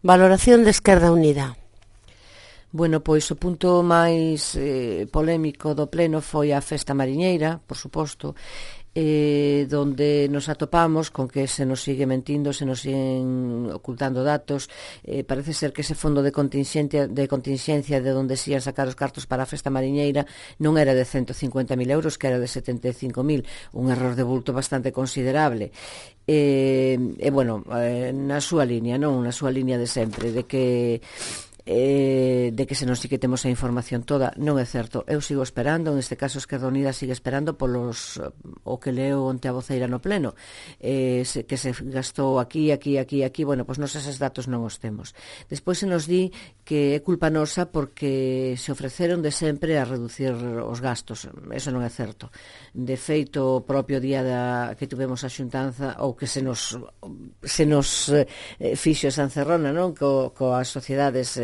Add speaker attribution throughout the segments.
Speaker 1: Valoración de Esquerda Unida.
Speaker 2: Bueno, pois o punto máis polémico do pleno foi a festa mariñeira, por suposto, donde nos atopamos con que se nos sigue mentindo, se nos siguen ocultando datos. Parece ser que ese fondo de contingencia de onde se ian sacar os cartos para a festa mariñeira non era de 150.000 euros, que era de 75.000, un error de bulto bastante considerable. Bueno, na súa liña, non? Na súa liña de sempre, de que se nos sí que temos a información toda. Non é certo, eu sigo esperando, neste caso Esquerda Unida sigue esperando polos o que leo onte a voceira no pleno, que se gastou aquí, bueno, pois nos eses datos non os temos. Despois se nos di que é culpa nosa porque se ofreceron de sempre a reducir os gastos. Eso non é certo. De feito, o propio día que tuvemos a xuntanza, ou que se nos fixo esa encerrona, non? Coas sociedades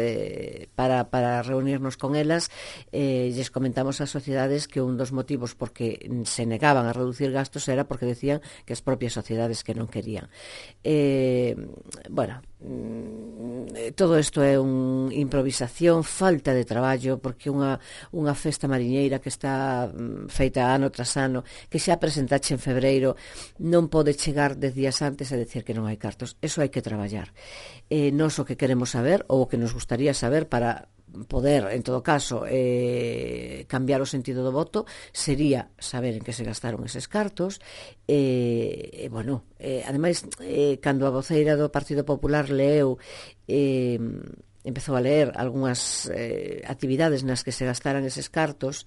Speaker 2: para reunirnos con elas, lles comentamos ás sociedades que un dos motivos porque se negaban a reducir gastos era porque decían que as propias sociedades que non querían. Bueno, todo isto é unha improvisación, falta de traballo, porque unha festa mariñeira que está feita ano tras ano, que xa presentache en febreiro, non pode chegar 10 días antes e decir que non hai cartos. Eso hai que traballar. Nos o que queremos saber, ou o que nos gustaría saber para poder, en todo caso, cambiar o sentido do voto, sería saber en que se gastaron eses cartos. Bueno, ademais, cando a voceira do Partido Popular leu, empezou a ler algunhas actividades nas que se gastaran eses cartos,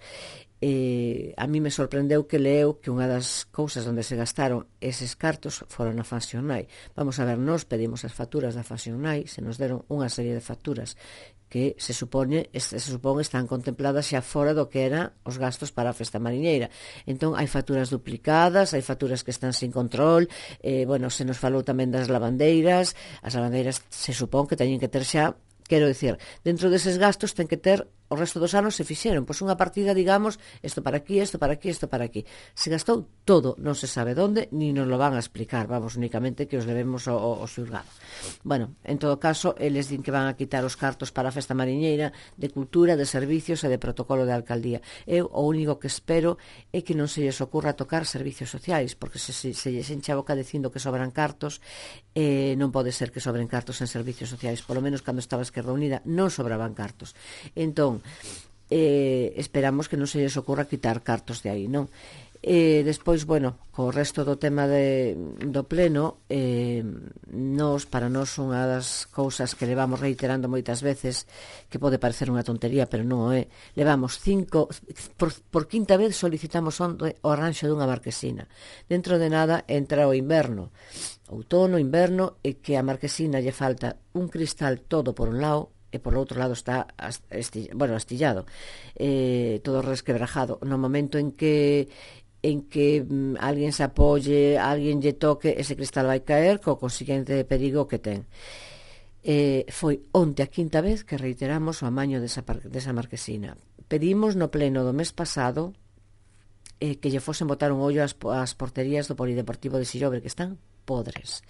Speaker 2: a mí me sorprendeu que leu que unha das cousas onde se gastaron eses cartos foron na Fashion Night. Vamos a ver, nós pedimos as facturas da Fashion Night, se nos deron unha serie de facturas que se supón están contempladas xa fora do que eran os gastos para a festa mariñeira. Entón, hai facturas duplicadas, hai facturas que están sin control. Bueno, se nos falou tamén das lavandeiras. As lavandeiras se supón que teñen que ter xa, quero dicir, dentro deses gastos ten que ter o resto dos anos se fixeron, pois unha partida, digamos, isto para aquí, isto para aquí, isto para aquí. Se gastou todo, non se sabe onde, ni nos lo van a explicar, vamos, únicamente que os levemos ao xulgado. Bueno, en todo caso, eles din que van a quitar os cartos para a festa mariñeira, de cultura, de servicios e de protocolo de alcaldía. Eu o único que espero é que non se lles ocurra tocar servicios sociais, porque se lles enche a boca dicindo que sobran cartos, non pode ser que sobren cartos en servicios sociais, polo menos cando estaba Esquerda Unida non sobraban cartos. Entón, esperamos que non se lles ocurra quitar cartos de aí, non? Despois, bueno, co resto do tema do pleno, para nós unha das cousas que levamos reiterando moitas veces, que pode parecer unha tontería, pero non o é, levamos por quinta vez solicitamos o arranxo dunha marquesina. Dentro de nada entra o inverno, outono, inverno, e que a marquesina lle falta un cristal todo por un lado, e por outro lado está astillado, todo resquebrajado. No momento en que alguén se apoie, alguén lle toque, ese cristal vai caer co consiguiente perigo que ten. Foi onte a quinta vez que reiteramos o amaño desa marquesina. Pedimos no pleno do mes pasado que lle fosen botar un ollo ás porterías do Polideportivo de Sillobre, que están podres.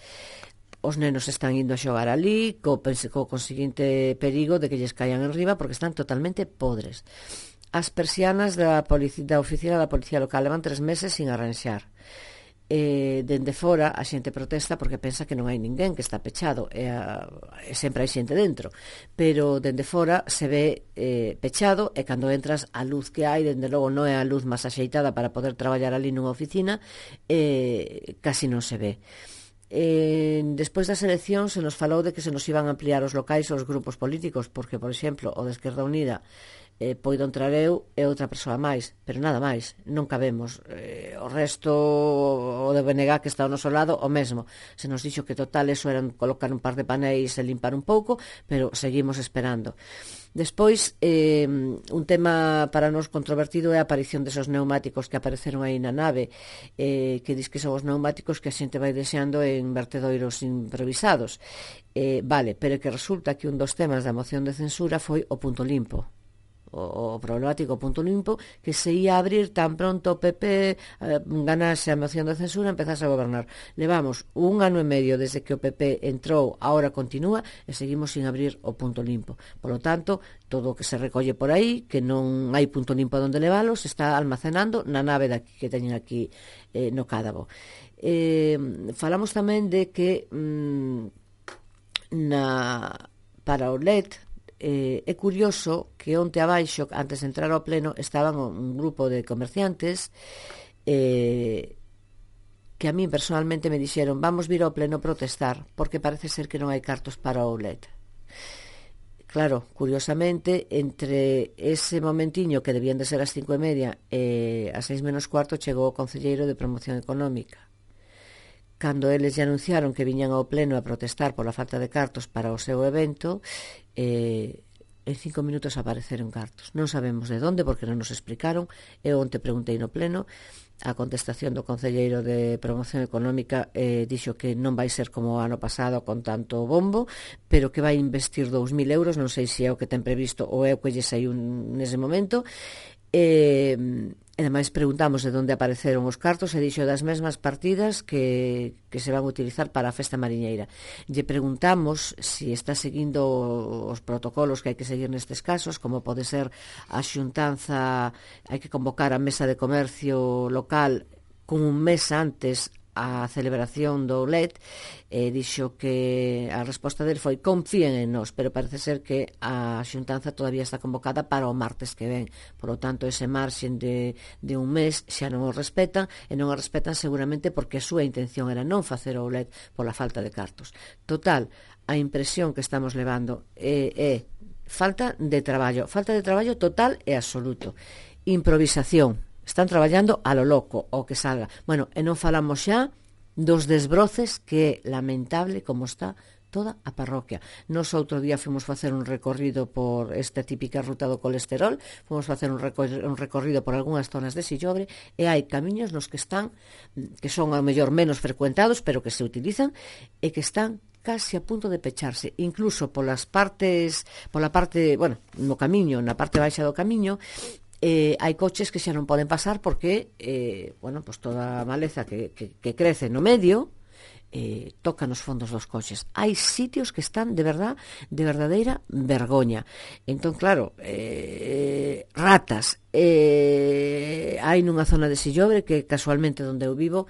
Speaker 2: Os nenos están indo a xogar ali co conseguinte perigo de que lles caian en riba porque están totalmente podres. As persianas da oficina da Policía Local levan 3 meses sin arranxar. Dende fora a xente protesta porque pensa que non hai ninguén, que está pechado, e sempre hai xente dentro, pero dende fora se ve pechado, e cando entras a luz que hai, dende logo non é a luz máis axeitada para poder traballar ali nunha oficina, casi non se ve. Despois das eleccións se nos falou de que se nos iban a ampliar os locais aos grupos políticos, porque, por exemplo, o de Esquerda Unida poido entrar eu e outra persoa máis, pero nada máis, non cabemos. O resto, o de BNG que está ao noso lado, o mesmo. Se nos dixo que total eso eran colocar un par de panéis e limpar un pouco, pero seguimos esperando. Despois, un tema para nós controvertido é a aparición desos neumáticos que apareceron aí na nave, que dis que son os neumáticos que a xente vai deseando en vertedoiros improvisados. Vale, pero que resulta que un dos temas da moción de censura foi o punto limpo. o problemático punto limpo, que se ia a abrir tan pronto o PP ganase a moción de censura, empezase a gobernar. Levamos 1 ano e medio desde que o PP entrou, ahora continúa, e seguimos sin abrir o punto limpo. Por lo tanto, todo o que se recolle por aí, que non hai punto limpo onde leválos, se está almacenando na nave que teñen aquí no Cádabo. Falamos tamén de que para o LED é curioso que onte abaixo, antes de entrar ao pleno, estaban un grupo de comerciantes que a mí personalmente me dixeron: vamos vir ao pleno protestar porque parece ser que non hai cartos para o LED. Claro, curiosamente, entre ese momentiño que debían de ser as 5:30 e as 6 menos cuarto chegou o concelleiro de Promoción Económica. Cando eles lle anunciaron que viñan ao pleno a protestar pola falta de cartos para o seu evento, en 5 minutos apareceron cartos. Non sabemos de onde, porque non nos explicaron. Eu onte preguntei no pleno, a contestación do concelleiro de Promoción Económica dixo que non vai ser como o ano pasado con tanto bombo, pero que vai investir 2.000 euros, non sei se é o que ten previsto ou é o que lle saiu nese momento. E ademais preguntamos de onde apareceron os cartos e dixo das mesmas partidas que se van a utilizar para a festa mariñeira. Lle preguntamos se está seguindo os protocolos que hai que seguir nestes casos, como pode ser a xuntanza, hai que convocar a mesa de comercio local con un mes antes a celebración do LED, dixo que a resposta del foi: confíen en nós, pero parece ser que a xuntanza todavía está convocada para o martes que ven. Por lo tanto, ese marxen de un mes xa non o respetan, e non o respetan seguramente porque a súa intención era non facer o LED pola falta de cartos. Total, a impresión que estamos levando é falta de traballo total e absoluto, improvisación. Están traballando a lo loco, o que salga. Bueno, e non falamos xa dos desbroces, que é lamentable como está toda a parroquia. Nos outro día fomos facer un recorrido por esta típica ruta do colesterol, fomos facer un recorrido por algunhas zonas de Sillobre, e hai camiños nos que están, que son ao mellor menos frecuentados, pero que se utilizan, e que están casi a punto de pecharse, incluso pola parte, bueno, no camiño, na parte baixa do camiño, hai coches que xa non poden pasar porque bueno, pues toda a maleza que crece no medio toca nos fondos dos coches. Hai sitios que están de verdadeira vergoña. Entón, claro, ratas hai nunha zona de Sillobre, que casualmente onde eu vivo,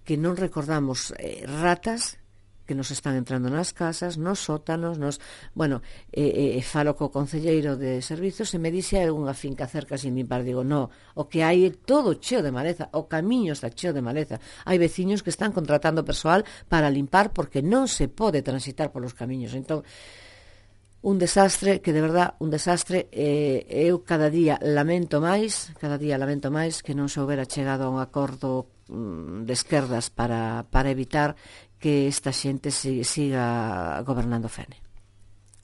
Speaker 2: que non recordamos ratas que nos están entrando nas casas, nos sótanos, bueno, falo co concelleiro de servizos e me dixe unha finca cerca sin limpar. Digo, no, o que hai é todo cheo de maleza, o camiño está cheo de maleza. Hai veciños que están contratando persoal para limpar porque non se pode transitar polos camiños. Entón, un desastre, que de verdad, un desastre. Eu cada día lamento máis que non se houbera chegado a un acordo de esquerdas para evitar que esta xente siga gobernando Fene.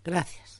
Speaker 1: Gracias.